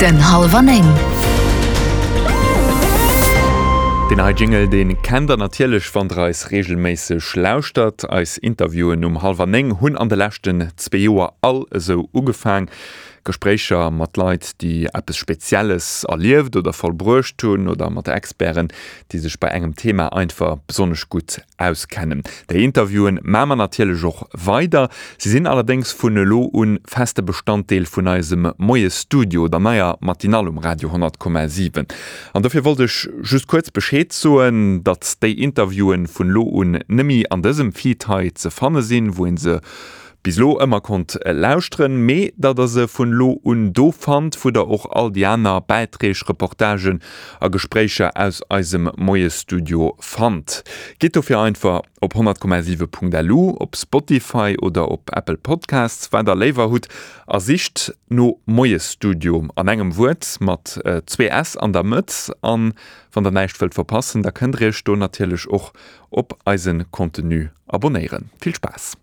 Den Hallwer 9. Deen hei Jingle, dee kennt der natierlech, wann der eis reegelméisseg lauschtert. Eis Interviewen um hallwer 9 hunn an de leschten zwee Joer all esou ugefaang. Gespréicher mat Leit, déi eppes Spezielles erlieft oder vollbruecht hunn oder mat Experten, déi sech bei engem Thema einfach besonnesch gutt auskennen. Déi Interviewen maa mer natierlech och weider. Si sinn allerdéngs vun elo un feste Bestanddeel vun eisem Moiesstudio, der neier Matinale um Radio 100,7. An dofir wollt ech just kuerz Bescheed soen, datt déi Interviewen vun elo un nëmmi an dësem Feed hei ze fanne sinn, wou een se bis elo ëmmer konnt lauschteren, mee datt der se vun elo un do fannt, wou der och all déi aner Bäiträg, Reportagen a Gespréicher aus eisem Moiesstudio fannt. Gitt dofir einfach op 100,7.lu, op Spotify oder op Apple Podcasts, wat der léiwer hutt, a sicht no Moiesstudio an engem Wuert mat zwee s an der Mëtt. An wann der näischt wëllt verpassen, da kënnt der iech do natierlech och op eise Contenu abonéieren. Vill Spaass!